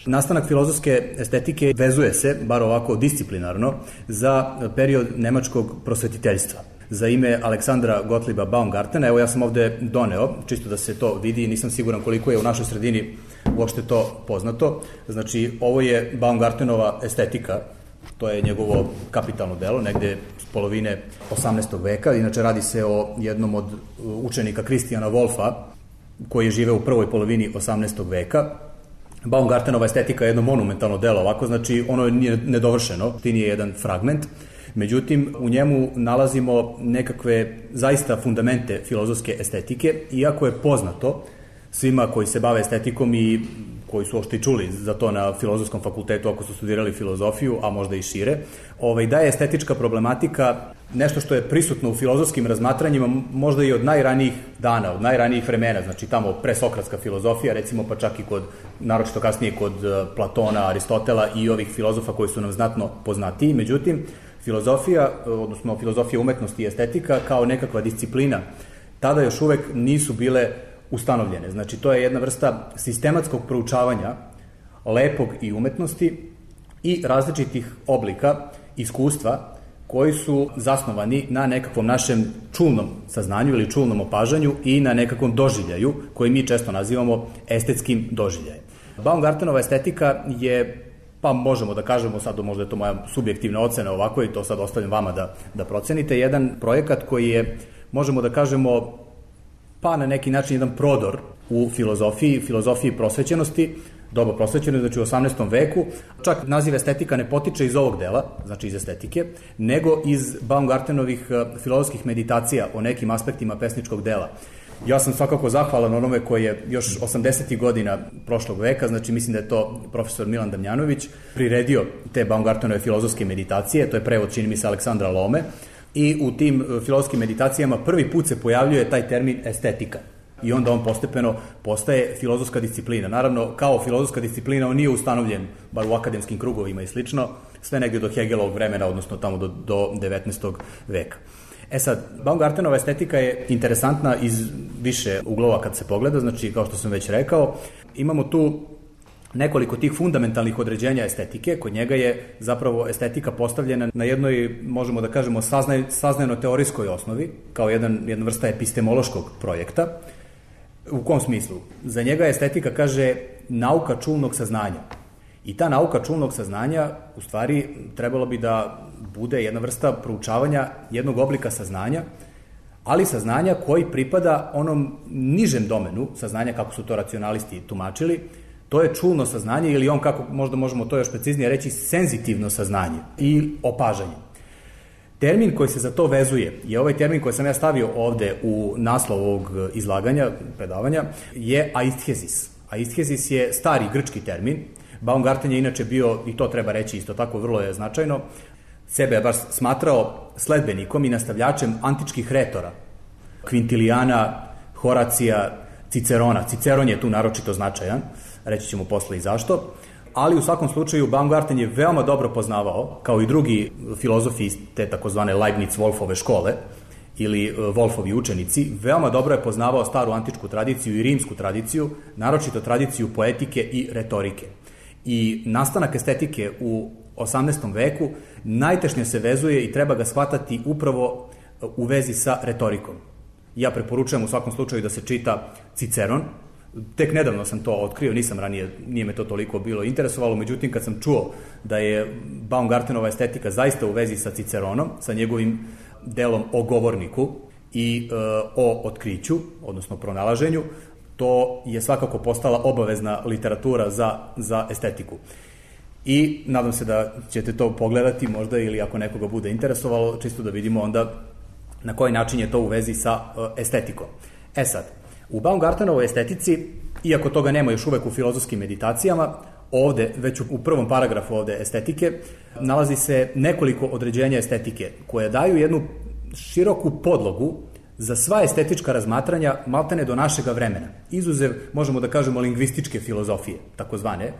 Nastanak filozofske estetike vezuje se, bar ovako disciplinarno, za period nemačkog prosvetiteljstva. Za ime Aleksandra Gottlieba Baumgartena, evo ja sam ovde doneo, čisto da se to vidi, nisam siguran koliko je u našoj sredini uopšte to poznato. Znači, ovo je Baumgartenova estetika, to je njegovo kapitalno delo, negde s polovine 18. veka. Inače, radi se o jednom od učenika Christiana Wolffa, koji je živeo u prvoj polovini 18. veka. Baumgartenova estetika je jedno monumentalno delo, ovako, znači ono je nedovršeno, to nije jedan fragment. Međutim, u njemu nalazimo nekakve zaista fundamente filozofske estetike, iako je poznato svima koji se bave estetikom i koji su ošte čuli za to na filozofskom fakultetu ako su studirali filozofiju, a možda i šire, da je estetička problematika nešto što je prisutno u filozofskim razmatranjima možda i od najranijih dana, od najranijih vremena, znači tamo presokratska filozofija, recimo pa čak i kod, naročito kasnije kod Platona, Aristotela i ovih filozofa koji su nam znatno poznatiji. Međutim, filozofija, odnosno filozofija umetnosti i estetika kao nekakva disciplina, tada još uvek nisu bile ustanovljene. Znači, to je jedna vrsta sistematskog proučavanja lepog i umetnosti i različitih oblika iskustva koji su zasnovani na nekakvom našem čulnom saznanju ili čulnom opažanju i na nekakvom doživljaju koji mi često nazivamo estetskim doživljajem. Baumgartenova estetika je, pa možemo da kažemo, sad možda je to moja subjektivna ocena ovako i to sad ostavljam vama da procenite, jedan projekat koji je, možemo da kažemo, pa na neki način jedan prodor u filozofiji prosvećenosti, doba prosvećenosti, znači u 18. veku. Čak naziv estetika ne potiče iz ovog dela, znači iz estetike, nego iz Baumgartenovih filozofskih meditacija o nekim aspektima pesničkog dela. Ja sam svakako zahvalan onome koji je još 80. godina prošlog veka, znači mislim da je to profesor Milan Damjanović, priredio te Baumgartenove filozofske meditacije, to je prevod, čini mi se, Aleksandra Lome, i u tim filozofskim meditacijama prvi put se pojavljuje taj termin estetika. I onda on postepeno postaje filozofska disciplina. Naravno, kao filozofska disciplina on nije ustanovljen, bar u akademskim krugovima i slično, sve negdje do Hegelovog vremena, odnosno tamo do 19. veka. Sad, Baumgartenova estetika je interesantna iz više uglova kad se pogleda, znači, kao što sam već rekao, imamo tu nekoliko tih fundamentalnih određenja estetike. Kod njega je zapravo estetika postavljena na jednoj, možemo da kažemo, saznajno-teorijskoj osnovi, kao jedna vrsta epistemološkog projekta. U kom smislu? Za njega estetika kaže nauka čulnog saznanja. I ta nauka čulnog saznanja, u stvari, trebalo bi da bude jedna vrsta proučavanja jednog oblika saznanja, ali saznanja koji pripada onom nižem domenu saznanja, kako su to racionalisti tumačili. To je čulno saznanje ili on, kako možda možemo to još preciznije reći, senzitivno saznanje i opažanje. Termin koji se za to vezuje je ovaj termin koji sam ja stavio ovde u naslov ovog izlaganja, predavanja, je aisthezis. Aisthezis je stari grčki termin. Baumgarten je inače bio, i to treba reći isto tako, vrlo je značajno, sebe je baš smatrao sledbenikom i nastavljačem antičkih retora, Quintiliana, Horacija, Cicerona. Ciceron je tu naročito značajan, reći ćemo posle i zašto, ali u svakom slučaju Baumgarten je veoma dobro poznavao, kao i drugi filozofi iz te takozvane Leibniz-Wolfove škole, ili Wolfovi učenici, veoma dobro je poznavao staru antičku tradiciju i rimsku tradiciju, naročito tradiciju poetike i retorike. I nastanak estetike u 18. veku najtešnje se vezuje i treba ga shvatati upravo u vezi sa retorikom. Ja preporučujem u svakom slučaju da se čita Ciceron. Tek nedavno sam to otkrio, nisam ranije, nije me to toliko bilo interesovalo, međutim kad sam čuo da je Baumgartenova estetika zaista u vezi sa Ciceronom, sa njegovim delom o govorniku i o otkriću, odnosno pronalaženju, to je svakako postala obavezna literatura za estetiku. I nadam se da ćete to pogledati možda, ili ako nekoga bude interesovalo, čisto da vidimo onda na koji način je to u vezi sa estetikom. Sad, u Baumgartenovoj estetici, iako toga nema još uvek u filozofskim meditacijama, ovde, već u prvom paragrafu ovde estetike, nalazi se nekoliko određenja estetike koje daju jednu široku podlogu za sva estetička razmatranja maltene do našega vremena. Izuzev, možemo da kažemo, lingvističke filozofije, takozvane,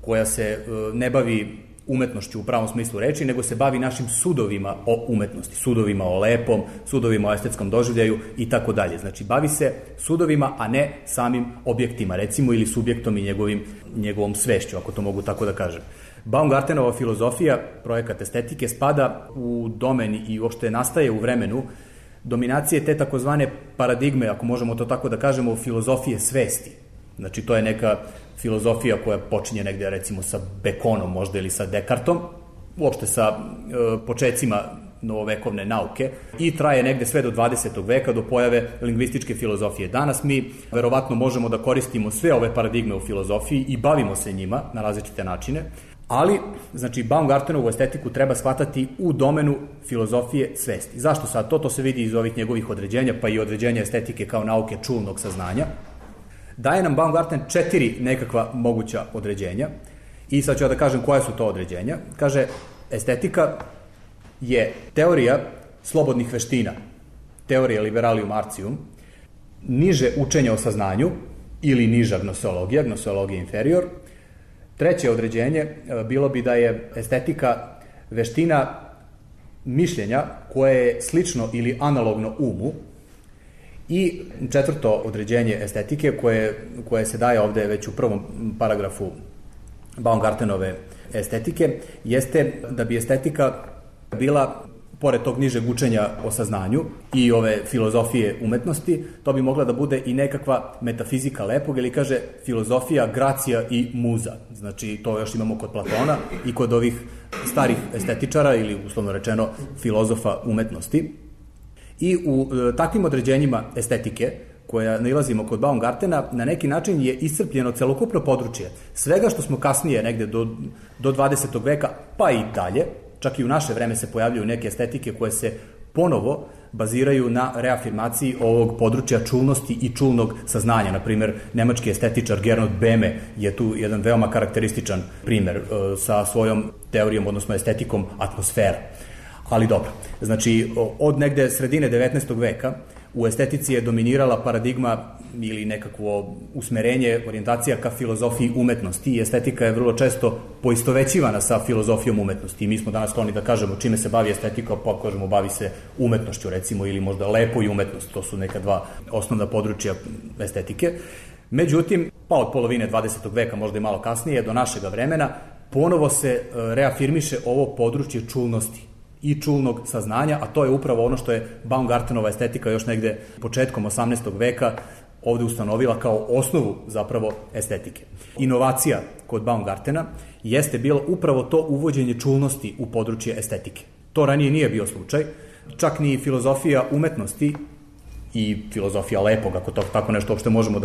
koja se ne bavi umetnošću u pravom smislu reči, nego se bavi našim sudovima o umetnosti, sudovima o lepom, sudovima o estetskom doživljaju i tako dalje. Znači, bavi se sudovima, a ne samim objektima, recimo, ili subjektom i njegovom svešću, ako to mogu tako da kažem. Baumgartenova filozofija, projekat estetike, spada u domen i uopšte nastaje u vremenu dominacije te takozvane paradigme, ako možemo to tako da kažemo, filozofije svesti. Znači, to je neka filozofija koja počinje negde, recimo, sa Bekonom možda ili sa Dekartom, uopšte sa počecima novovekovne nauke i traje negde sve do 20. veka, do pojave lingvističke filozofije. Danas mi verovatno možemo da koristimo sve ove paradigme u filozofiji i bavimo se njima na različite načine, ali, znači, Baumgartenovu estetiku treba shvatati u domenu filozofije svesti. Zašto sad to? To se vidi iz ovih njegovih određenja, pa i određenja estetike kao nauke čulnog saznanja. Daje nam Baumgarten 4 nekakva moguća određenja i sad ću da kažem koja su to određenja. Kaže, estetika je teorija slobodnih veština, teorija liberalium artium, niže učenja o saznanju ili niža gnoseologija inferior. Treće određenje bilo bi da je estetika veština mišljenja koje je slično ili analogno umu. I četvrto određenje estetike koje se daje ovde već u prvom paragrafu Baumgartenove estetike jeste da bi estetika bila, pored tog nižeg učenja o saznanju i ove filozofije umetnosti, to bi mogla da bude i nekakva metafizika lepog, ili kaže filozofija, gracija i muza. Znači, to još imamo kod Platona i kod ovih starih estetičara ili, uslovno rečeno, filozofa umetnosti. I u takvim određenjima estetike, koja nailazimo kod Baumgartena, na neki način je iscrpljeno celokupno područje svega što smo kasnije negde do 20. veka, pa i dalje, čak i u naše vreme se pojavljaju neke estetike koje se ponovo baziraju na reafirmaciji ovog područja čulnosti i čulnog saznanja. Naprimer, nemački estetičar Gernot Böhme je tu jedan veoma karakterističan primer sa svojom teorijom, odnosno estetikom atmosfera. Ali dobro, znači od negde sredine 19. veka u estetici je dominirala paradigma ili nekakvo usmerenje, orijentacija ka filozofiji umetnosti i estetika je vrlo često poistovećivana sa filozofijom umetnosti. I mi smo danas skloni da kažemo čime se bavi estetika, pa kažemo bavi se umetnošću, recimo, ili možda lepo i umetnost. To su neka dva osnovna područja estetike. Međutim, pa od polovine 20. veka, možda i malo kasnije, do našega vremena, ponovo se reafirmiše ovo područje čulnosti i čulnog saznanja, a to je upravo ono što je Baumgartenova estetika još negde početkom 18. veka ovde ustanovila kao osnovu zapravo estetike. Inovacija kod Baumgartena jeste bilo upravo to uvođenje čulnosti u područje estetike. To ranije nije bio slučaj, čak ni filozofija umetnosti i filozofija lepog, ako to tako nešto uopšte možemo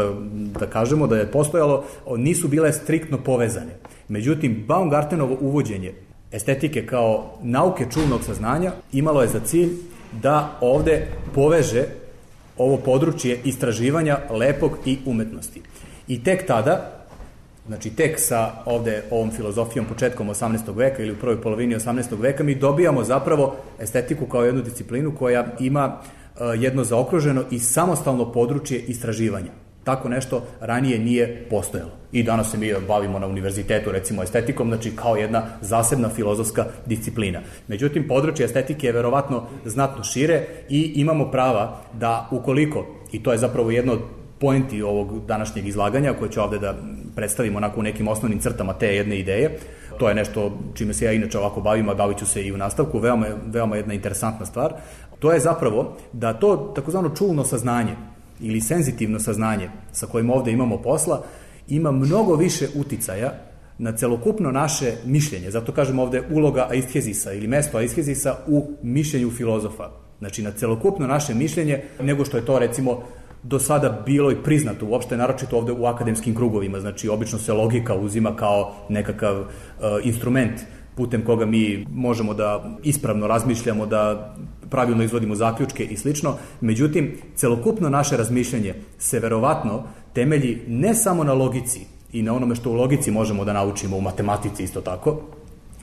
da kažemo, da je postojalo, nisu bile striktno povezane. Međutim, Baumgartenovo uvođenje estetike kao nauke čulnog saznanja imalo je za cilj da ovde poveže ovo područje istraživanja lepog i umetnosti. I tek tada, znači tek sa ovde ovom filozofijom početkom 18. veka ili u prvoj polovini 18. veka mi dobijamo zapravo estetiku kao jednu disciplinu koja ima jedno zaokruženo i samostalno područje istraživanja. Tako nešto ranije nije postojalo. I danas se mi bavimo na univerzitetu, recimo, estetikom, znači kao jedna zasebna filozofska disciplina. Međutim, područje estetike je verovatno znatno šire i imamo prava da ukoliko, i to je zapravo jedno od pointi ovog današnjeg izlaganja, koje ću ovde da predstavimo onako u nekim osnovnim crtama te jedne ideje, to je nešto čime se ja inače ovako bavim, a bavit ću se i u nastavku, veoma jedna interesantna stvar, to je zapravo da to takozvano čulno saznanje ili senzitivno saznanje sa kojim ovde imamo posla, ima mnogo više uticaja na celokupno naše mišljenje. Zato kažem ovde uloga aisthezisa ili mesto aisthezisa u mišljenju filozofa. Znači na celokupno naše mišljenje nego što je to recimo do sada bilo i priznato uopšte, naročito ovde u akademskim krugovima. Znači obično se logika uzima kao nekakav instrument putem koga mi možemo da ispravno razmišljamo, da pravilno izvodimo zaključke i slično. Međutim, celokupno naše razmišljanje se verovatno temelji ne samo na logici i na onome što u logici možemo da naučimo, u matematici isto tako,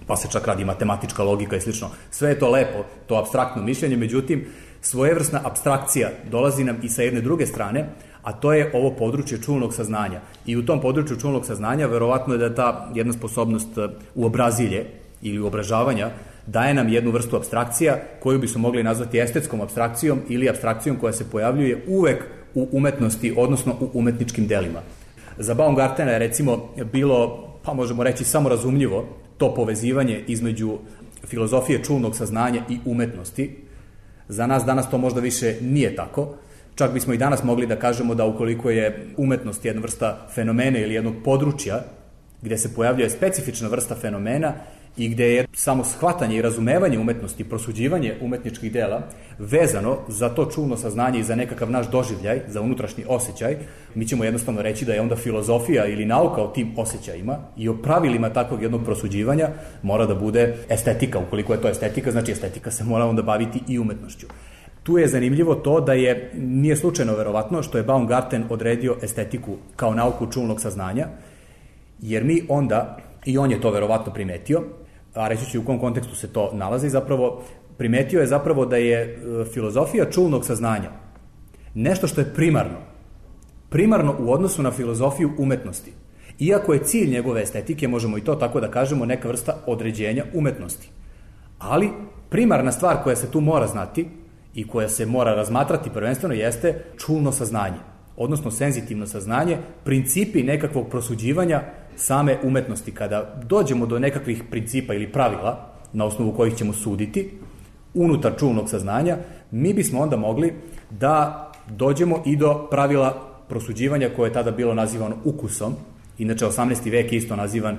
pa se čak radi matematička logika i slično. Sve je to lepo, to apstraktno mišljenje, međutim, svojevrsna apstrakcija dolazi nam i sa jedne druge strane, a to je ovo područje čulnog saznanja. I u tom području čulnog saznanja verovatno je da ta jedna sposobnost uobrazilje ili uobražavanja daje nam jednu vrstu apstrakcija koju bismo mogli nazvati estetskom apstrakcijom ili apstrakcijom koja se pojavljuje uvek u umetnosti, odnosno u umetničkim delima. Za Baumgartena je recimo bilo, pa možemo reći, samorazumljivo to povezivanje između filozofije čulnog saznanja i umetnosti. Za nas danas to možda više nije tako. Čak bismo i danas mogli da kažemo da ukoliko je umetnost jedna vrsta fenomena ili jednog područja gde se pojavljuje specifična vrsta fenomena i gde je samo shvatanje i razumevanje umetnosti, prosuđivanje umetničkih dela vezano za to čulno saznanje i za nekakav naš doživljaj, za unutrašnji osjećaj, mi ćemo jednostavno reći da je onda filozofija ili nauka o tim osjećajima i o pravilima takvog jednog prosuđivanja mora da bude estetika. Ukoliko je to estetika, znači estetika se mora onda baviti i umetnošću. Tu je zanimljivo to da nije slučajno verovatno što je Baumgarten odredio estetiku kao nauku čulnog saznanja, jer mi onda, i on je to verovatno primetio, a reći ću u kom kontekstu se to nalazi, zapravo primetio je zapravo da je filozofija čulnog saznanja nešto što je primarno u odnosu na filozofiju umetnosti. Iako je cilj njegove estetike, možemo i to tako da kažemo, neka vrsta određenja umetnosti. Ali primarna stvar koja se tu mora znati i koja se mora razmatrati prvenstveno jeste čulno saznanje, odnosno senzitivno saznanje, principi nekakvog prosuđivanja same umetnosti. Kada dođemo do nekakvih principa ili pravila na osnovu kojih ćemo suditi unutar čulnog saznanja, mi bismo onda mogli da dođemo i do pravila prosuđivanja koje je tada bilo nazivano ukusom. Inače, 18. vek je isto nazivan,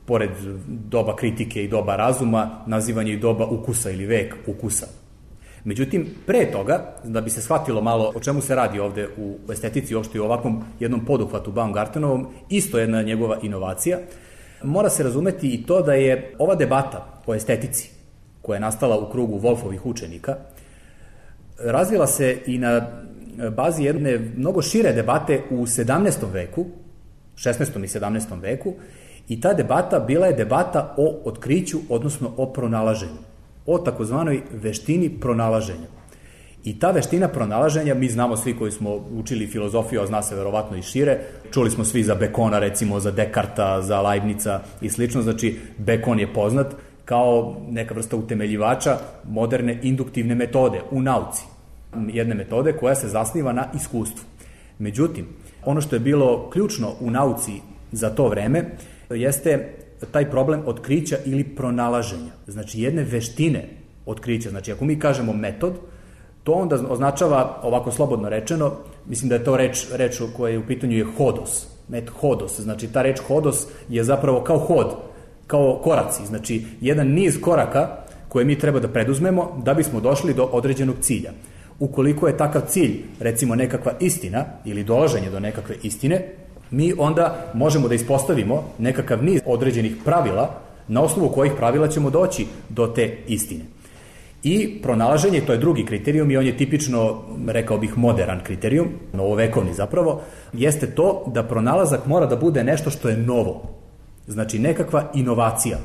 pored doba kritike i doba razuma, nazivan je i doba ukusa ili vek ukusa. Međutim, pre toga, da bi se shvatilo malo o čemu se radi ovde u estetici, uopšte i u ovakvom jednom poduhvatu Baumgartenovom, isto jedna njegova inovacija, mora se razumeti i to da je ova debata o estetici, koja je nastala u krugu Wolfovih učenika, razvila se i na bazi jedne mnogo šire debate u 17. veku, 16. i 17. veku, i ta debata bila je debata o otkriću, odnosno o pronalaženju, o takozvanoj veštini pronalaženja. I ta veština pronalaženja, mi znamo svi koji smo učili filozofiju, a zna se verovatno i šire, čuli smo svi za Bekona, recimo za Dekarta, za Leibnica i slično, znači Bekon je poznat kao neka vrsta utemeljivača moderne induktivne metode u nauci. Jedne metode koja se zasniva na iskustvu. Međutim, ono što je bilo ključno u nauci za to vreme jeste taj problem otkrića ili pronalaženja. Znači jedne veštine otkrića. Znači ako mi kažemo metod, to onda označava, ovako slobodno rečeno, mislim da je to reč koja je u pitanju je hodos. Hodos. Znači ta reč hodos je zapravo kao hod, kao koraci. Znači jedan niz koraka koje mi treba da preduzmemo da bismo došli do određenog cilja. Ukoliko je takav cilj, recimo nekakva istina ili dolaženje do nekakve istine, mi onda možemo da ispostavimo nekakav niz određenih pravila na osnovu kojih pravila ćemo doći do te istine. I pronalaženje, to je drugi kriterijum i on je tipično, rekao bih, modern kriterijum, novovekovni zapravo, jeste to da pronalazak mora da bude nešto što je novo. Znači nekakva inovacija.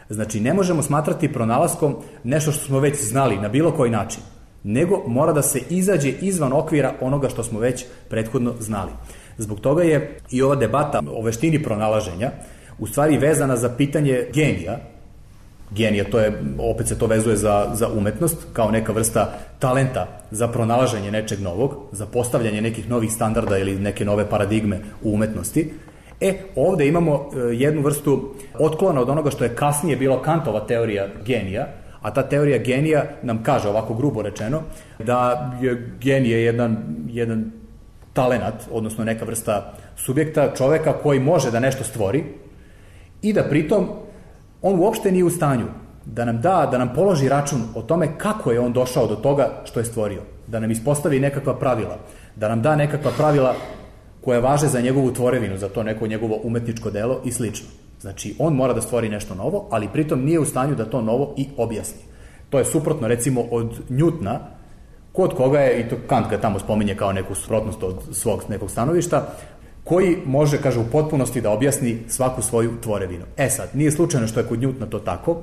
Znači ne možemo smatrati pronalaskom nešto što smo već znali na bilo koji način, nego mora da se izađe izvan okvira onoga što smo već prethodno znali. Zbog toga je i ova debata o veštini pronalaženja u stvari vezana za pitanje genija. Genija, to je, opet se to vezuje za umetnost, kao neka vrsta talenta za pronalaženje nečeg novog, za postavljanje nekih novih standarda ili neke nove paradigme u umetnosti. Ovde imamo jednu vrstu otklona od onoga što je kasnije bilo Kantova teorija genija, a ta teorija genija nam kaže, ovako grubo rečeno, da je genije jedan talenat, odnosno neka vrsta subjekta, čoveka koji može da nešto stvori i da pritom on uopšte nije u stanju da nam položi račun o tome kako je on došao do toga što je stvorio, da nam ispostavi nekakva pravila, da nam da nekakva pravila koja važe za njegovu tvorevinu, za to neko njegovo umetničko delo i slično. Znači, on mora da stvori nešto novo, ali pritom nije u stanju da to novo i objasni. To je suprotno, recimo, od Njutna, kod koga je, i to Kant ga tamo spominje kao neku suprotnost od svog nekog stanovišta, koji može, kaže, u potpunosti da objasni svaku svoju tvorevinu. Sad, nije slučajno što je kod Njutna to tako,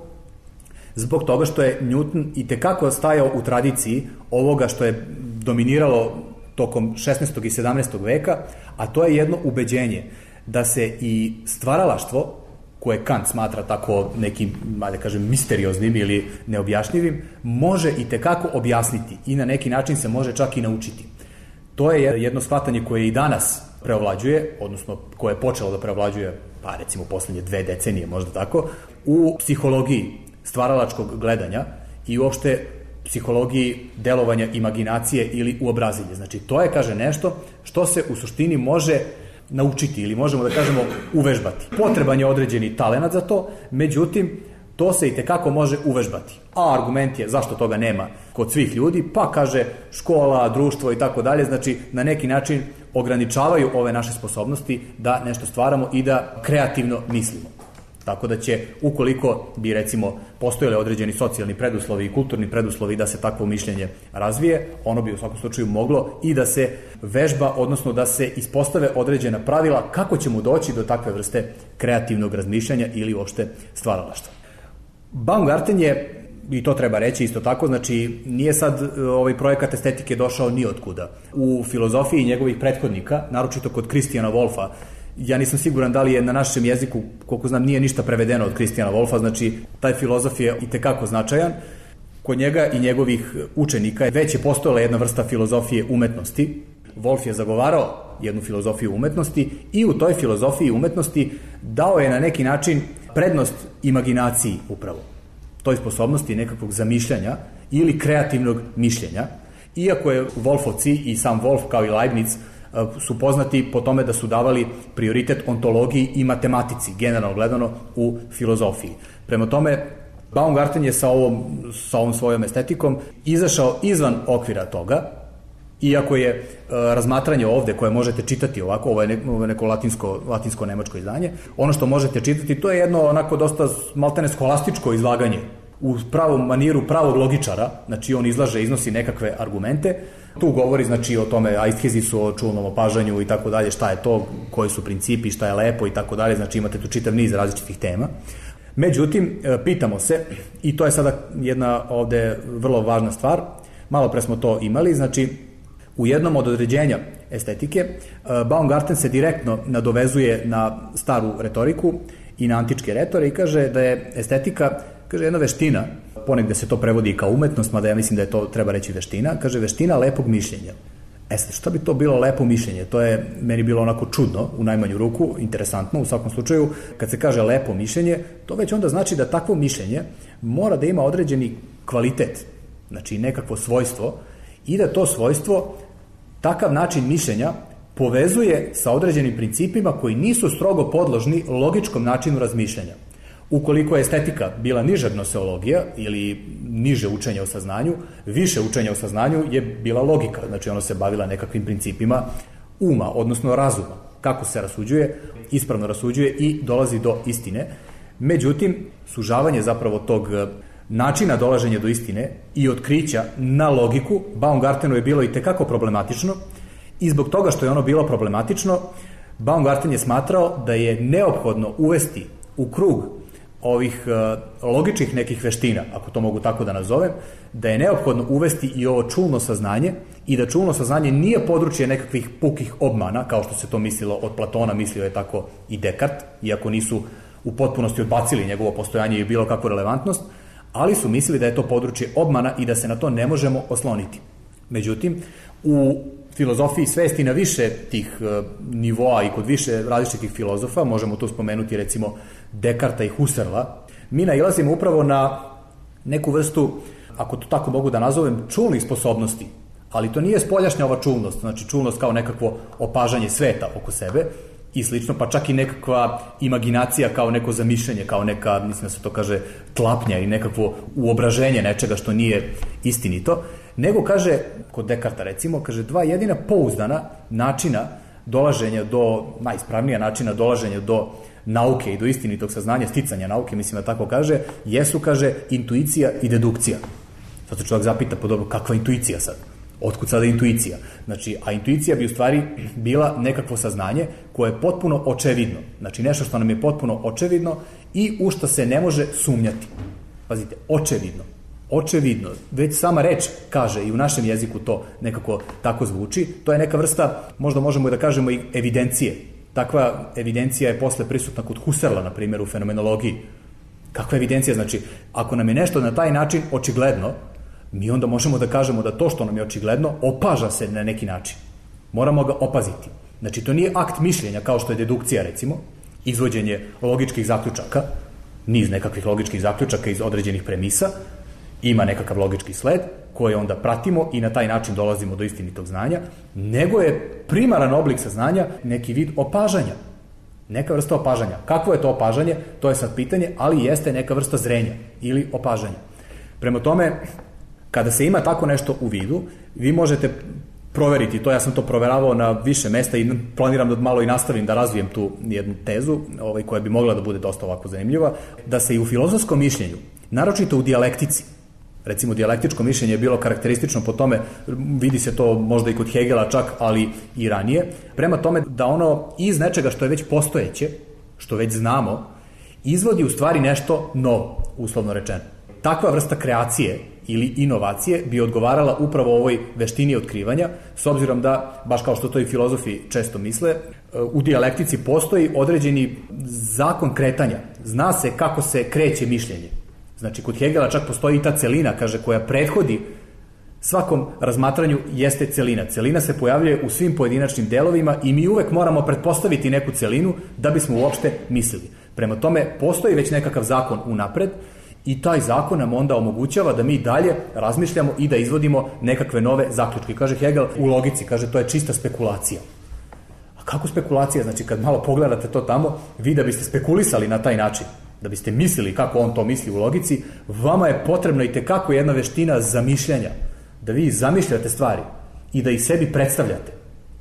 zbog toga što je Newton i tekako stajao u tradiciji ovoga što je dominiralo tokom 16. i 17. veka, a to je jedno ubeđenje da se i stvaralaštvo koje Kant smatra tako nekim, da kažem, misterioznim ili neobjašnjivim, može i tekako objasniti i na neki način se može čak i naučiti. To je jedno shvatanje koje i danas preovlađuje, odnosno koje je počelo da preovlađuje, pa recimo poslednje 2 decenije, možda tako, u psihologiji stvaralačkog gledanja i uopšte psihologiji delovanja imaginacije ili uobrazilje. Znači, to je, kaže, nešto što se u suštini može naučiti ili možemo da kažemo uvežbati. Potreban je određeni talenat za to, međutim, to se i tekako može uvežbati. A argument je zašto toga nema kod svih ljudi, pa kaže škola, društvo i tako dalje, znači na neki način ograničavaju ove naše sposobnosti da nešto stvaramo i da kreativno mislimo. Tako da će, ukoliko bi recimo postojali određeni socijalni preduslovi i kulturni preduslovi da se takvo mišljenje razvije, ono bi u svakom slučaju moglo i da se vežba, odnosno da se ispostave određena pravila kako ćemo doći do takve vrste kreativnog razmišljanja ili uopšte stvaralaštva. Baumgarten je, i to treba reći isto tako, znači nije sad ovaj projekat estetike došao ni otkuda. U filozofiji njegovih prethodnika, naročito kod Christiana Wolffa, ja nisam siguran da li je na našem jeziku, koliko znam, nije ništa prevedeno od Christiana Wolffa, znači taj filozof je i tekako značajan. Kod njega i njegovih učenika već je postojala jedna vrsta filozofije umetnosti. Wolff je zagovarao jednu filozofiju umetnosti i u toj filozofiji umetnosti dao je na neki način prednost imaginaciji upravo. Toj sposobnosti nekakvog zamišljanja ili kreativnog mišljenja. Iako je Wolffovci i sam Wolff kao i Leibniz su poznati po tome da su davali prioritet ontologiji i matematici, generalno gledano u filozofiji. Prema tome, Baumgarten je sa ovom svojom estetikom izašao izvan okvira toga, iako je razmatranje ovde koje možete čitati ovako, ovo je neko latinsko-nemačko izdanje, ono što možete čitati, to je jedno onako dosta maltene skolastičko izlaganje u pravom maniru pravog logičara, znači on iznosi nekakve argumente, tu govori znači o tome aisthezisu, o čulnom opažanju i tako dalje, šta je to, koji su principi, šta je lepo i tako dalje, znači imate tu čitav niz različitih tema. Međutim, pitamo se, i to je sada jedna ovde vrlo važna stvar, malo pre smo to imali, znači u jednom od određenja estetike Baumgarten se direktno nadovezuje na staru retoriku i na antičke retore i kaže da je estetika, kaže, jedna veština, ponegde se to prevodi kao umetnost, mada ja mislim da je to, treba reći, veština, kaže veština lepog mišljenja. Sad, šta bi to bilo lepo mišljenje? To je meni bilo onako čudno, u najmanju ruku, interesantno u svakom slučaju. Kad se kaže lepo mišljenje, to već onda znači da takvo mišljenje mora da ima određeni kvalitet, znači nekakvo svojstvo, i da to svojstvo, takav način mišljenja, povezuje sa određenim principima koji nisu strogo podložni logičkom načinu razmišljanja. Ukoliko je estetika bila niža gnoseologija ili niže učenje o saznanju, više učenja o saznanju je bila logika, znači ono se bavila nekakvim principima uma, odnosno razuma, kako se rasuđuje, ispravno rasuđuje i dolazi do istine. Međutim, sužavanje zapravo tog načina dolaženja do istine i otkrića na logiku Baumgartenu je bilo i tekako problematično i zbog toga što je ono bilo problematično, Baumgarten je smatrao da je neophodno uvesti u krug ovih logičnih nekih veština, ako to mogu tako da nazovem, da je neophodno uvesti i ovo čulno saznanje i da čulno saznanje nije područje nekakvih pukih obmana, kao što se to mislilo od Platona, mislio je tako i Dekart, iako nisu u potpunosti odbacili njegovo postojanje i bilo kakvu relevantnost, ali su mislili da je to područje obmana i da se na to ne možemo osloniti. Međutim, u filozofiji svesti na više tih nivoa i kod više različitih filozofa, možemo tu spomenuti recimo Dekarta i Husserla, mi nailazimo upravo na neku vrstu, ako to tako mogu da nazovem, čulnih sposobnosti, ali to nije spoljašnja ova čulnost, znači čulnost kao nekakvo opažanje sveta oko sebe i slično, pa čak i nekakva imaginacija kao neko zamišljanje, kao neka, mislim da se to kaže, tlapnja i nekakvo uobraženje nečega što nije istinito, nego kaže, kod Dekarta recimo, kaže dva jedina pouzdana načina dolaženja do, najispravnija načina dolaženja do nauke i do istinitog saznanja, sticanja nauke, mislim da tako kaže, jesu, kaže, intuicija i dedukcija. Sad se čovjek zapita, pa dobro, kakva intuicija sad? Otkud sada intuicija? Znači, a intuicija bi u stvari bila nekakvo saznanje koje je potpuno očevidno. Znači, nešto što nam je potpuno očevidno i u što se ne može sumnjati. Pazite, očevidno. Očevidno. Već sama reč kaže i u našem jeziku to nekako tako zvuči. To je neka vrsta, možda možemo i da kažemo i evidencije. Takva evidencija je posle prisutna kod Husserla, na primjer, u fenomenologiji. Kakva evidencija? Znači, ako nam je nešto na taj način očigledno, mi onda možemo da kažemo da to što nam je očigledno opaža se na neki način. Moramo ga opaziti. Znači, to nije akt mišljenja kao što je dedukcija, recimo, izvođenje logičkih zaključaka, niz nekakvih logičkih zaključaka iz određenih premisa, ima nekakav logički sled koji onda pratimo i na taj način dolazimo do istinitog znanja, nego je primaran oblik saznanja neki vid opažanja. Neka vrsta opažanja. Kakvo je to opažanje? To je sad pitanje, ali jeste neka vrsta zrenja ili opažanja. Prema tome, kada se ima tako nešto u vidu, vi možete proveriti to, ja sam to proveravao na više mesta i planiram da malo i nastavim da razvijem tu jednu tezu, koja bi mogla da bude dosta ovako zanimljiva, da se i u filozofskom mišljenju, naročito u dijalektici, recimo dijalektičko mišljenje je bilo karakteristično po tome, vidi se to možda i kod Hegela čak, ali i ranije, prema tome da ono iz nečega što je već postojeće, što već znamo, izvodi u stvari nešto novo, uslovno rečeno. Takva vrsta kreacije ili inovacije bi odgovarala upravo ovoj veštini otkrivanja, s obzirom da, baš kao što to i filozofi često misle, u dijalektici postoji određeni zakon kretanja. Zna se kako se kreće mišljenje. Znači, kod Hegela čak postoji i ta celina, kaže, koja prethodi svakom razmatranju jeste celina. Celina se pojavljuje u svim pojedinačnim delovima i mi uvek moramo pretpostaviti neku celinu da bismo uopšte mislili. Prema tome, postoji već nekakav zakon unapred i taj zakon nam onda omogućava da mi dalje razmišljamo i da izvodimo nekakve nove zaključke. Kaže Hegel u logici, kaže, to je čista spekulacija. A kako spekulacija? Znači, kad malo pogledate to tamo, vi da biste spekulisali na taj način, da biste mislili kako on to misli u logici, vama je potrebna i tekako jedna veština zamišljanja, da vi zamišljate stvari i da ih sebi predstavljate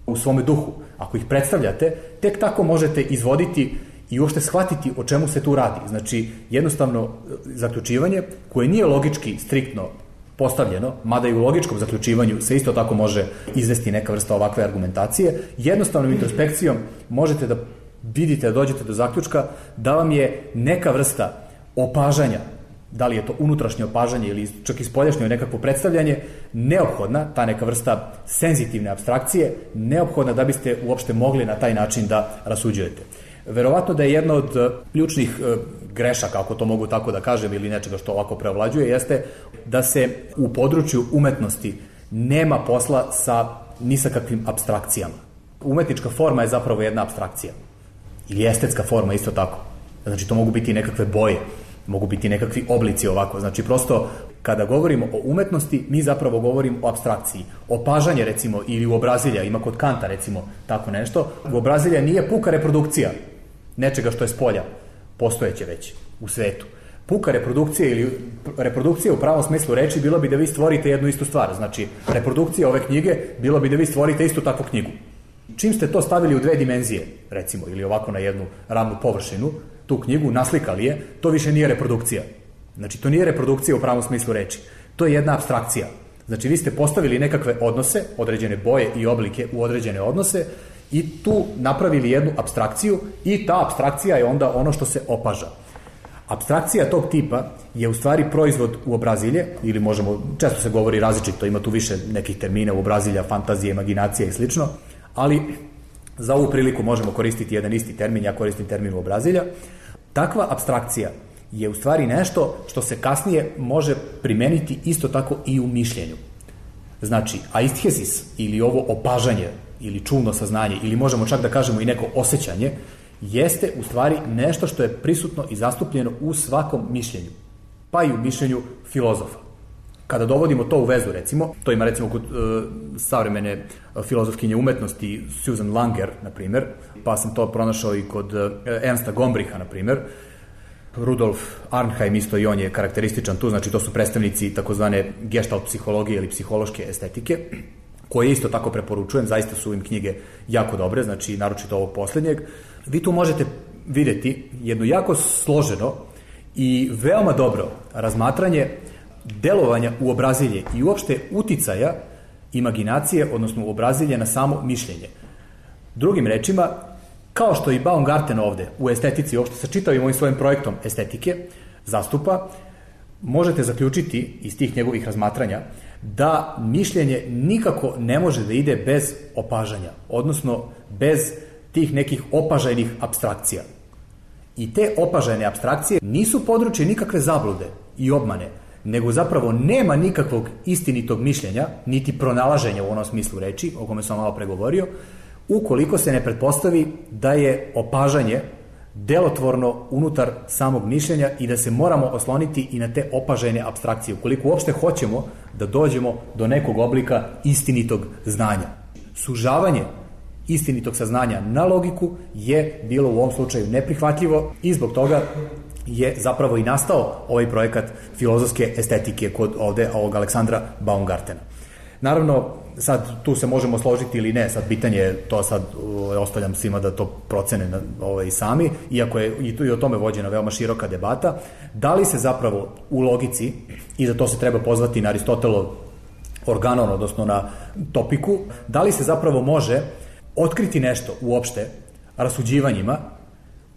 u svome duhu. Ako ih predstavljate, tek tako možete izvoditi i uopšte shvatiti o čemu se tu radi. Znači, jednostavno zaključivanje koje nije logički striktno postavljeno, mada i u logičkom zaključivanju se isto tako može izvesti neka vrsta ovakve argumentacije, jednostavnom introspekcijom možete da vidite, da dođete do zaključka da vam je neka vrsta opažanja, da li je to unutrašnje opažanje ili čak i spoljašnje nekakvo predstavljanje, neophodna, ta neka vrsta senzitivne apstrakcije, neophodna da biste uopšte mogli na taj način da rasuđujete. Verovatno da je jedna od ključnih grešaka, ako to mogu tako da kažem, ili nečega što ovako preovlađuje, jeste da se u području umetnosti nema posla ni sa kakvim apstrakcijama. Umetnička forma je zapravo jedna apstrakcija. Ili estetska forma isto tako. Znači, to mogu biti nekakve boje, mogu biti nekakvi oblici ovako. Znači, prosto, kada govorimo o umetnosti, mi zapravo govorimo o apstrakciji. Opažanje, recimo, ili uobrazilja, ima kod Kanta, recimo, tako nešto. Uobrazilja nije puka reprodukcija nečega što je spolja, postojeće već u svetu. Puka reprodukcija ili reprodukcija u pravom smislu reči bilo bi da vi stvorite jednu istu stvar. Znači, reprodukcija ove knjige bilo bi da vi stvorite istu takvu knjigu. Čim ste to stavili u dve dimenzije, recimo, ili ovako na jednu ravnu površinu, tu knjigu, naslikali je, to više nije reprodukcija. Znači, to nije reprodukcija u pravom smislu reči. To je jedna apstrakcija. Znači, vi ste postavili nekakve odnose, određene boje i oblike u određene odnose i tu napravili jednu apstrakciju i ta apstrakcija je onda ono što se opaža. Apstrakcija tog tipa je u stvari proizvod uobrazilje, ili možemo, često se govori različito, ima tu više nekih termina, uobrazilja, fantazije, imaginacija i slično, ali za ovu priliku možemo koristiti jedan isti termin, ja koristim termin uobrazilja. Takva apstrakcija je u stvari nešto što se kasnije može primeniti isto tako i u mišljenju. Znači, aisthesis ili ovo opažanje ili čulno saznanje ili možemo čak da kažemo i neko osjećanje jeste u stvari nešto što je prisutno i zastupljeno u svakom mišljenju, pa i u mišljenju filozofa. Kada dovodimo to u vezu, recimo, to ima recimo kod savremene filozofkinje umetnosti Susan Langer, na primjer, pa sam to pronašao i kod Ernsta Gombricha, na primjer, Rudolf Arnheim isto i on je karakterističan tu, znači to su predstavnici takozvane gestalt psihologije ili psihološke estetike, koje isto tako preporučujem, zaista su im knjige jako dobre, znači naročito ovog poslednjeg. Vi tu možete videti jedno jako složeno i veoma dobro razmatranje delovanja uobrazilje i uopšte uticaja imaginacije, odnosno uobrazilje na samo mišljenje. Drugim rečima, kao što i Baumgarten ovde u estetici, uopšte sa čitavim ovim svojim projektom estetike zastupa, možete zaključiti iz tih njegovih razmatranja da mišljenje nikako ne može da ide bez opažanja, odnosno bez tih nekih opažajnih apstrakcija. I te opažajne apstrakcije nisu područje nikakve zablude i obmane, nego zapravo nema nikakvog istinitog mišljenja, niti pronalaženja u onom smislu reči, o kome sam malo pregovorio, ukoliko se ne pretpostavi da je opažanje delotvorno unutar samog mišljenja i da se moramo osloniti i na te opažajne apstrakcije, ukoliko uopšte hoćemo da dođemo do nekog oblika istinitog znanja. Sužavanje istinitog saznanja na logiku je bilo u ovom slučaju neprihvatljivo i zbog toga je zapravo i nastao ovaj projekat filozofske estetike kod ovde ovog Aleksandra Baumgartena. Naravno, sad tu se možemo složiti ili ne, sad pitanje, to sad ostavljam svima da to procene sami, iako je i o tome vođena veoma široka debata, da li se zapravo u logici, i za to se treba pozvati na Aristotelov organon, odnosno na topiku, da li se zapravo može otkriti nešto uopšte rasuđivanjima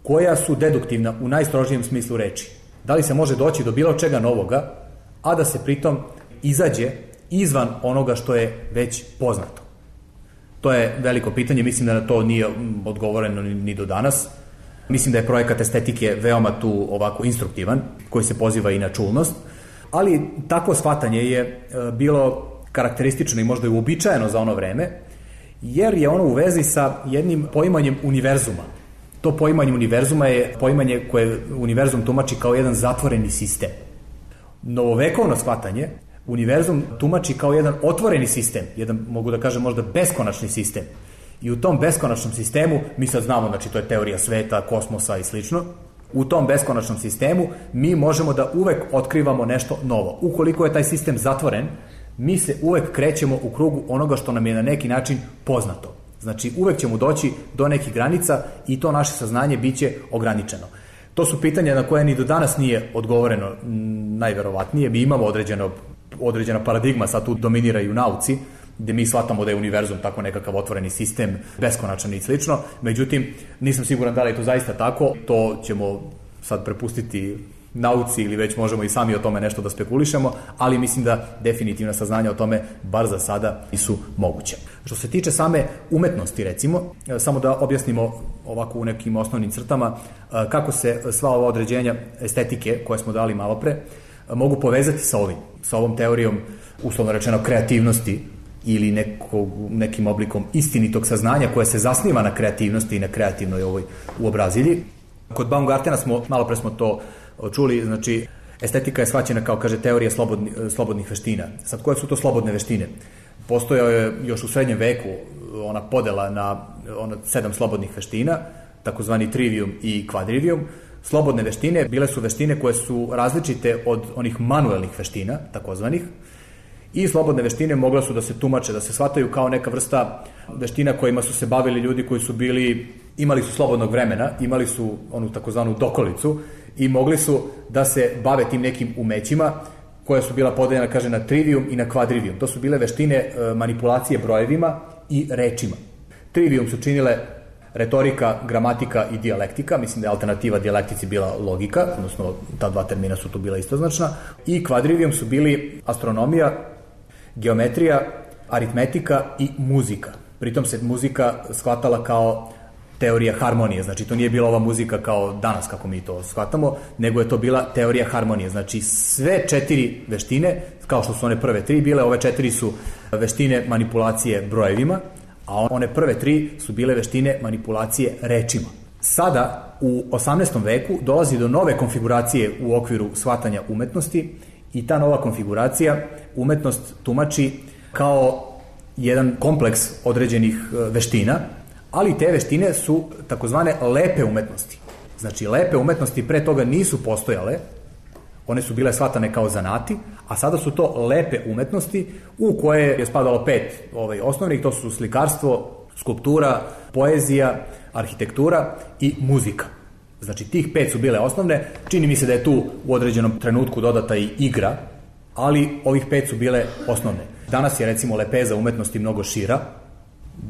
koja su deduktivna u najstrožijem smislu reči. Da li se može doći do bilo čega novoga, a da se pritom izađe izvan onoga što je već poznato? To je veliko pitanje, mislim da na to nije odgovoreno ni do danas. Mislim da je projekat estetike veoma tu ovako instruktivan, koji se poziva i na čulnost, ali takvo shvatanje je bilo karakteristično i možda i uobičajeno za ono vreme, jer je ono u vezi sa jednim poimanjem univerzuma. To poimanje univerzuma je poimanje koje univerzum tumači kao jedan zatvoreni sistem. Novovekovno shvatanje univerzum tumači kao jedan otvoreni sistem, jedan, mogu da kažem, možda beskonačni sistem. I u tom beskonačnom sistemu, mi sad znamo, znači to je teorija sveta, kosmosa i slično, u tom beskonačnom sistemu mi možemo da uvek otkrivamo nešto novo. Ukoliko je taj sistem zatvoren, mi se uvek krećemo u krugu onoga što nam je na neki način poznato. Znači, uvek ćemo doći do nekih granica i to naše saznanje biće ograničeno. To su pitanja na koje ni do danas nije odgovoreno najverovatnije. Mi imamo određena paradigma, sad tu dominira i u nauci, gde mi shvatamo da je univerzum tako nekakav otvoreni sistem, beskonačan i slično. Međutim, nisam siguran da li je to zaista tako. To ćemo sad prepustiti nauci ili već možemo i sami o tome nešto da spekulišemo, ali mislim da definitivna saznanja o tome, bar za sada, nisu moguće. Što se tiče same umetnosti, recimo, samo da objasnimo ovako u nekim osnovnim crtama kako se sva ova određenja estetike koje smo dali malo pre mogu povezati sa ovom teorijom, uslovno rečeno, kreativnosti ili nekim oblikom istinitog saznanja koje se zasniva na kreativnosti i na kreativnoj ovoj uobrazilji. Kod Baumgartena malo pre smo to čuli, znači estetika je shvaćena kao, kaže, teorija slobodnih veština. Sad, koje su to slobodne veštine? Postojao je još u srednjem veku ona podela na 7 slobodnih veština, takozvani trivium i quadrivium. Slobodne veštine bile su veštine koje su različite od onih manuelnih veština, takozvanih, i slobodne veštine mogle su da se tumače, da se shvataju kao neka vrsta veština kojima su se bavili ljudi koji su imali su slobodnog vremena, imali su onu takozvanu dokolicu i mogli su da se bave tim nekim umećima koja su bila podeljena, kaže, na trivium i na quadrivium. To su bile veštine manipulacije brojevima i rečima. Trivium su činile retorika, gramatika i dijalektika, mislim da je alternativa dijalektici bila logika, odnosno ta dva termina su tu bila istoznačna, i quadrivium su bili astronomija, geometrija, aritmetika i muzika. Pritom se muzika shvatala kao teorija harmonije, znači to nije bila ova muzika kao danas kako mi to shvatamo, nego je to bila teorija harmonije, znači sve 4 veštine, kao što su one prve 3 bile, ove 4 su veštine manipulacije brojevima, a one prve 3 su bile veštine manipulacije rečima. Sada, u 18. veku, dolazi do nove konfiguracije u okviru shvatanja umetnosti i ta nova konfiguracija umetnost tumači kao jedan kompleks određenih veština, ali te veštine su takozvane lepe umetnosti. Znači, lepe umetnosti pre toga nisu postojale, one su bile shvatane kao zanati, a sada su to lepe umetnosti u koje je spadalo 5 osnovnih, to su slikarstvo, skulptura, poezija, arhitektura i muzika. Znači, tih 5 su bile osnovne, čini mi se da je tu u određenom trenutku dodata i igra, ali ovih 5 su bile osnovne. Danas je, recimo, lepeza umetnosti mnogo šira,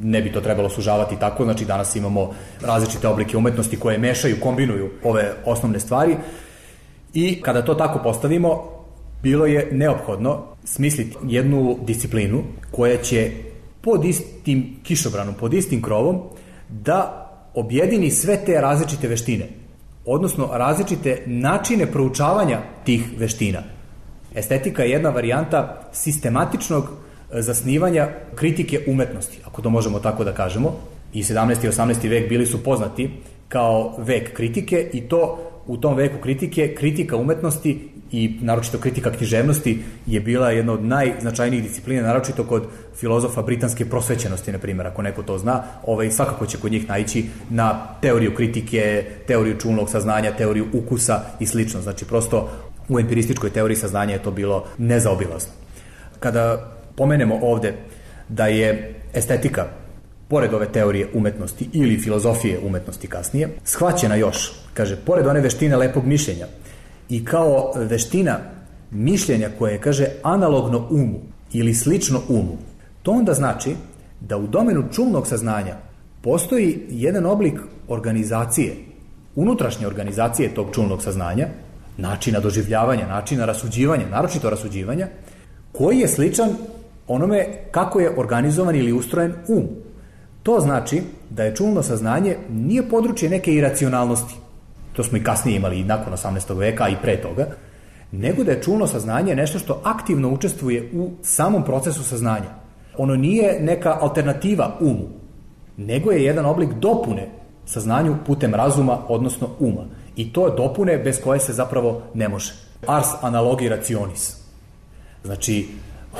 ne bi to trebalo sužavati tako, znači danas imamo različite oblike umetnosti koje mešaju, kombinuju ove osnovne stvari i kada to tako postavimo, bilo je neophodno smisliti jednu disciplinu koja će pod istim kišobranom, pod istim krovom da objedini sve te različite veštine, odnosno različite načine proučavanja tih veština. Estetika je jedna varijanta sistematičnog zasnivanja kritike umetnosti, ako to možemo tako da kažemo. I 17. i 18. vek bili su poznati kao vek kritike i to u tom veku kritike, kritika umetnosti i naročito kritika književnosti je bila jedna od najznačajnijih disciplina, naročito kod filozofa britanske prosvećenosti, na primjer, ako neko to zna, svakako će kod njih naići na teoriju kritike, teoriju čulnog saznanja, teoriju ukusa i slično. Znači, prosto u empirističkoj teoriji saznanja je to bilo nezaobilazno. Kada pomenemo ovde da je estetika, pored ove teorije umetnosti ili filozofije umetnosti kasnije, shvaćena još, kaže, pored one veštine lepog mišljenja i kao veština mišljenja koje je, kaže, analogno umu ili slično umu, to onda znači da u domenu čulnog saznanja postoji jedan oblik organizacije, unutrašnje organizacije tog čulnog saznanja, načina doživljavanja, načina rasuđivanja, naročito rasuđivanja, koji je sličan onome kako je organizovan ili ustrojen um. To znači da je čulno saznanje nije područje neke iracionalnosti, to smo i kasnije imali i nakon 18. veka i pre toga, nego da je čulno saznanje nešto što aktivno učestvuje u samom procesu saznanja. Ono nije neka alternativa umu, nego je jedan oblik dopune saznanju putem razuma, odnosno uma. I to je dopune bez koje se zapravo ne može. Ars analogi rationis. Znači,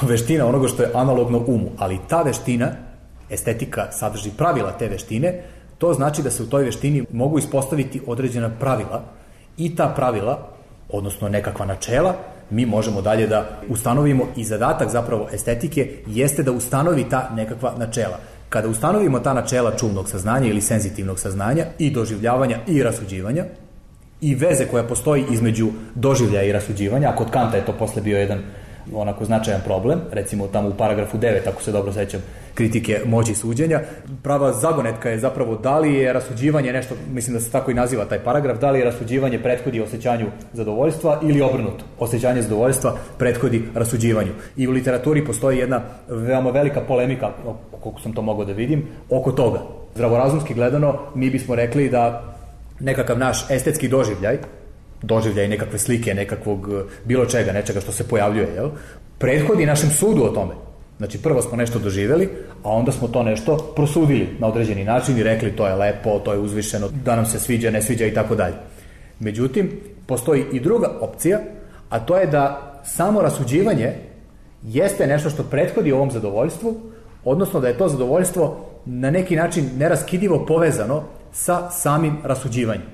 veština onoga što je analogno umu, ali ta veština, estetika sadrži pravila te veštine, to znači da se u toj veštini mogu ispostaviti određena pravila i ta pravila, odnosno nekakva načela, mi možemo dalje da ustanovimo i zadatak zapravo estetike jeste da ustanovi ta nekakva načela. Kada ustanovimo ta načela čulnog saznanja ili senzitivnog saznanja i doživljavanja i rasuđivanja i veze koja postoji između doživljaja i rasuđivanja, a kod Kanta je to posle bio jedan onako značajan problem, recimo tamo u paragrafu 9, ako se dobro sećam, kritike moći suđenja, prava zagonetka je zapravo da li je rasuđivanje nešto, mislim da se tako i naziva taj paragraf, da li je rasuđivanje prethodi osjećanju zadovoljstva ili obrnuto, osjećanje zadovoljstva prethodi rasuđivanju. I u literaturi postoji jedna veoma velika polemika, koliko sam to mogao da vidim, oko toga. Zdravorazumski gledano, mi bismo rekli da nekakav naš estetski doživljaj nekakve slike, nekakvog bilo čega, nečega što se pojavljuje, prethodi našem sudu o tome. Znači, prvo smo nešto doživjeli, a onda smo to nešto prosudili na određeni način i rekli to je lepo, to je uzvišeno, da nam se sviđa, ne sviđa i tako dalje. Međutim, postoji i druga opcija, a to je da samo rasuđivanje jeste nešto što prethodi ovom zadovoljstvu, odnosno da je to zadovoljstvo na neki način neraskidivo povezano sa samim rasuđivanjem.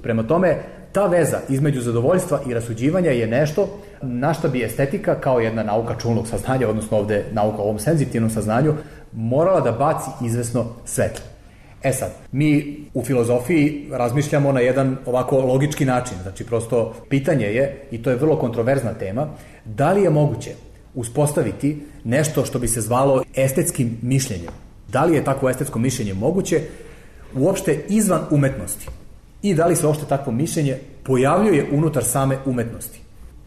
Prema tome, ta veza između zadovoljstva i rasuđivanja je nešto na što bi estetika kao jedna nauka čulnog saznanja, odnosno ovde nauka o ovom senzitivnom saznanju, morala da baci izvesno svetlo. Sad, mi u filozofiji razmišljamo na jedan ovako logički način, znači prosto pitanje je, i to je vrlo kontroverzna tema, da li je moguće uspostaviti nešto što bi se zvalo estetskim mišljenjem. Da li je takvo estetsko mišljenje moguće uopšte izvan umetnosti? I da li se uopšte takvo mišljenje pojavljuje unutar same umetnosti?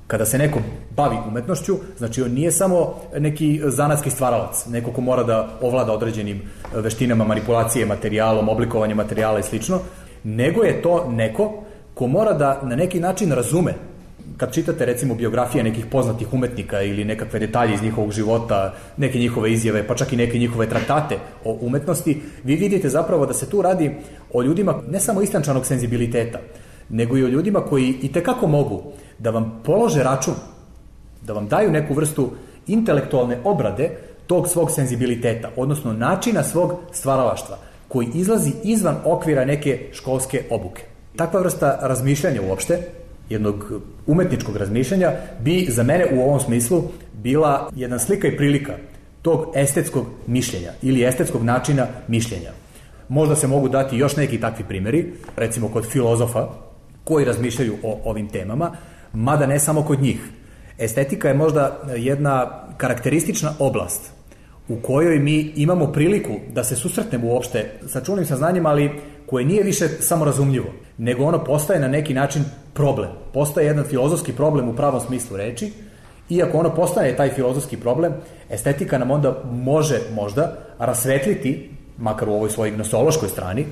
Kada se neko bavi umetnošću, znači on nije samo neki zanatski stvaralac, neko ko mora da ovlada određenim veštinama, manipulacije materijalom, oblikovanje materijala i slično, nego je to neko ko mora da na neki način razume. Kad čitate recimo biografije nekih poznatih umetnika ili nekakve detalje iz njihovog života, neke njihove izjave, pa čak i neke njihove traktate o umetnosti, vi vidite zapravo da se tu radi o ljudima ne samo istančanog senzibiliteta, nego i o ljudima koji itekako mogu da vam polože račun, da vam daju neku vrstu intelektualne obrade tog svog senzibiliteta, odnosno načina svog stvaralaštva, koji izlazi izvan okvira neke školske obuke. Takva vrsta razmišljanja uopšte, jednog umetničkog razmišljanja, bi za mene u ovom smislu bila jedna slika i prilika tog estetskog mišljenja ili estetskog načina mišljenja. Možda se mogu dati još neki takvi primjeri, recimo kod filozofa koji razmišljaju o ovim temama, mada ne samo kod njih. Estetika je možda jedna karakteristična oblast u kojoj mi imamo priliku da se susretnemo uopšte sa čulnim saznanjem, ali koje nije više samorazumljivo, nego ono postaje na neki način problem. Postaje jedan filozofski problem u pravom smislu reči, iako ono postane taj filozofski problem, estetika nam onda može možda rasvetliti, makar u ovoj svojoj gnosološkoj strani,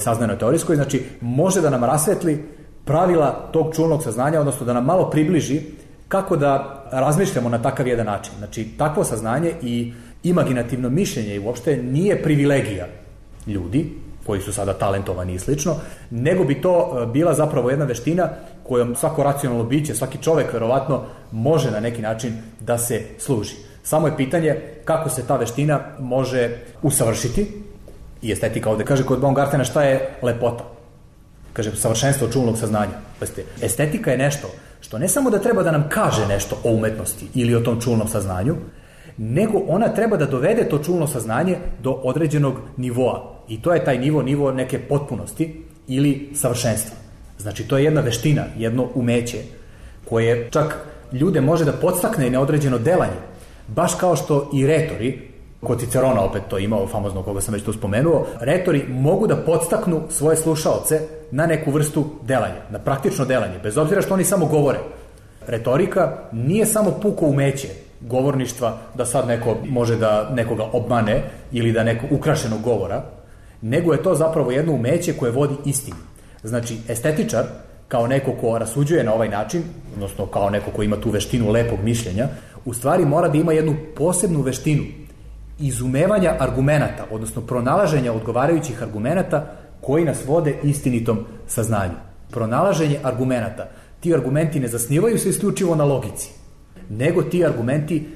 saznajnoj teorijskoj, znači može da nam rasvetli pravila tog čulnog saznanja, odnosno da nam malo približi kako da razmišljamo na takav jedan način. Znači, takvo saznanje i imaginativno mišljenje i uopšte nije privilegija ljudi koji su sada talentovani i slično, nego bi to bila zapravo jedna veština kojom svako racionalno biće, svaki čovek verovatno može na neki način da se služi. Samo je pitanje kako se ta veština može usavršiti. I estetika ovde kaže kod Baumgartena šta je lepota. Kaže savršenstvo čulnog saznanja. Estetika je nešto što ne samo da treba da nam kaže nešto o umetnosti ili o tom čulnom saznanju, nego ona treba da dovede to čulno saznanje do određenog nivoa. I to je taj nivo neke potpunosti ili savršenstva. Znači, to je jedna veština, jedno umeće koje čak ljude može da podstakne na određeno delanje. Baš kao što i retori, kod Cicerona opet to imao, famozno koga sam već tu spomenuo, retori mogu da podstaknu svoje slušaoce na neku vrstu delanja, na praktično delanje, bez obzira što oni samo govore. Retorika nije samo puko umeće govorništva, da sad neko može da nekoga obmane ili da neko ukrašenog govora, nego je to zapravo jedno umeće koje vodi istinu. Znači, estetičar, kao neko ko rasuđuje na ovaj način, odnosno kao neko ko ima tu veštinu lepog mišljenja, u stvari mora da ima jednu posebnu veštinu izumevanja argumenata, odnosno pronalaženja odgovarajućih argumenata koji nas vode istinitom saznanju. Pronalaženje argumenata. Ti argumenti ne zasnivaju se isključivo na logici, nego ti argumenti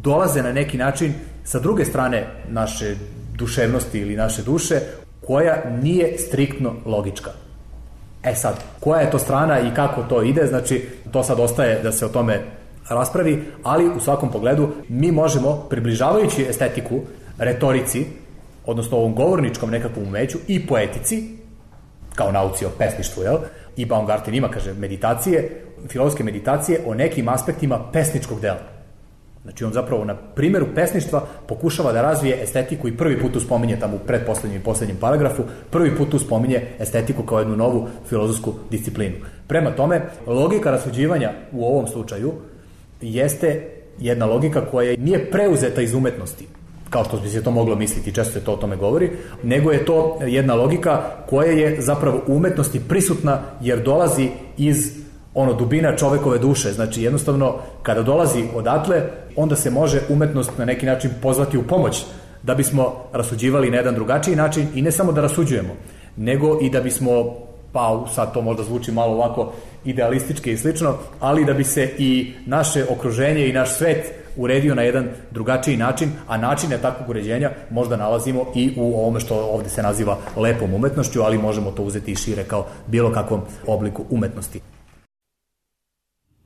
dolaze na neki način sa druge strane naše duševnosti ili naše duše, koja nije striktno logička. Sad, koja je to strana i kako to ide, znači to sad ostaje da se o tome raspravi, ali u svakom pogledu mi možemo, približavajući estetiku retorici, odnosno ovom govorničkom nekakvom umeću i poetici, kao nauci o pesništvu, i Baumgarten ima, kaže, meditacije, filozofske meditacije o nekim aspektima pesničkog dela. Znači on zapravo na primjeru pesništva pokušava da razvije estetiku i prvi put tu spominje tamo u pretposlednjem i poslednjem paragrafu, prvi put tu spominje estetiku kao jednu novu filozofsku disciplinu. Prema tome, logika rasuđivanja u ovom slučaju jeste jedna logika koja nije preuzeta iz umetnosti, kao što bi se to moglo misliti, često se to o tome govori, nego je to jedna logika koja je zapravo u umetnosti prisutna jer dolazi iz dubina čovekove duše. Znači jednostavno kada dolazi odatle, onda se može umetnost na neki način pozvati u pomoć da bismo rasuđivali na jedan drugačiji način i ne samo da rasuđujemo, nego i da bismo, pa sad to možda zvuči malo ovako idealistički i slično, ali da bi se i naše okruženje i naš svet uredio na jedan drugačiji način, a načine takvog uređenja možda nalazimo i u ovome što ovde se naziva lepom umetnošću, ali možemo to uzeti i šire kao bilo kakvom obliku umetnosti.